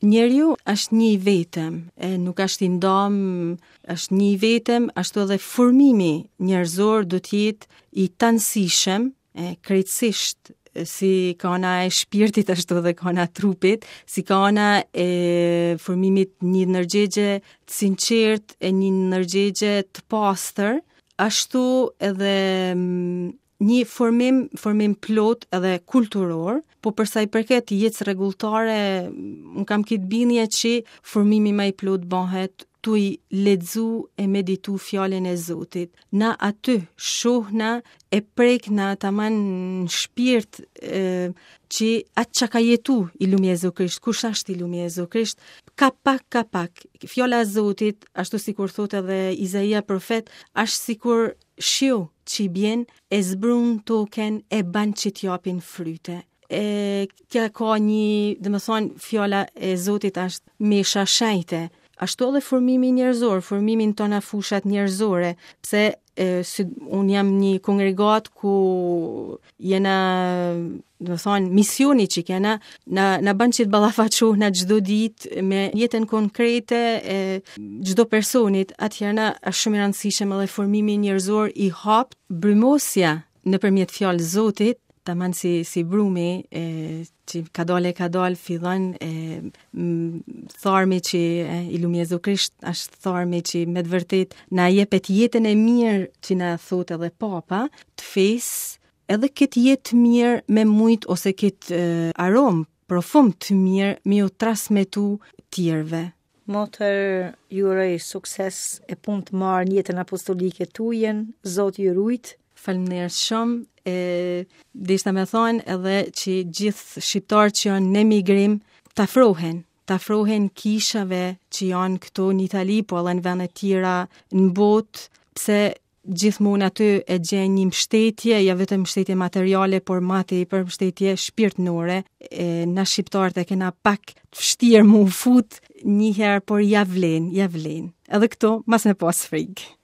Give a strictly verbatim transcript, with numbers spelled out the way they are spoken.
Njeriu është një i vetëm, e nuk është i ndam, është një i vetëm, ashtu edhe formimi njerëzor do të jetë i tanësishëm, e krejtësisht si ka ana e shpirtit ashtu edhe ka ana e trupit, si ka ana e formimit një ndërgjegje të sinqert e një ndërgjegje të pastër, ashtu edhe mm, një formim, formim plot edhe kulturor, po përsa i përket jetës rregulltare, unë kam këtë bindje që formimi më i plot bëhet tuj lexu e meditu fjalën e Zotit. Na aty shohna e prekna taman në shpirt e, që atë që ka jetu i lumi Jezu Krisht, kush është i lumi Jezu Krisht, ka pak, ka pak. Fjala e Zotit, ashtu sikur thot edhe Izaia profet, është sikur shiu që i bjen e zbrun token e ban që t'japin fryte. E kja ka një, dhe më thonë, fjala e Zotit është mesha shejte. Ashtu edhe formimi njerëzor, formimi në tona fushat njerëzore, pse e, si, unë jam një kongregat ku jena, do të thonë, misioni që kena, na, na bën që të ballafaqohna çdo ditë me jetën konkrete e çdo personit, atëherë na është shumë i rëndësishëm edhe formimi njerëzor i hap brymosja nëpërmjet fjalës Zotit, taman si si brumi e që ka dalë e ka dalë fillon e m, tharmi që e, i lumi Jezu Krisht është tharmi që me të vërtet na jepet jetën e mirë që na thot edhe Papa të fesë, edhe këtë jetë të mirë me mujt ose këtë e, aromë, profum të mirë me ju transmetu tjerëve. Motër, ju uroj sukses e punë të marrë në jetën apostolike tujen, Zoti ju rujt. Faleminderit shumë. E deshta me thonë edhe që gjithë shqiptarët që janë në migrim të afrohen, të afrohen kishave që janë këto në Itali, po edhe në vende tjera në botë, pse gjithmonë aty e gjen një mbështetje, ja vetëm mbështetje materiale, por ma tepër mbështetje shpirtënore. E, na shqiptarët e kena pak të vështirë mu fut një herë, por ja vlen, ja vlen. Edhe këto, mas me pas frikë.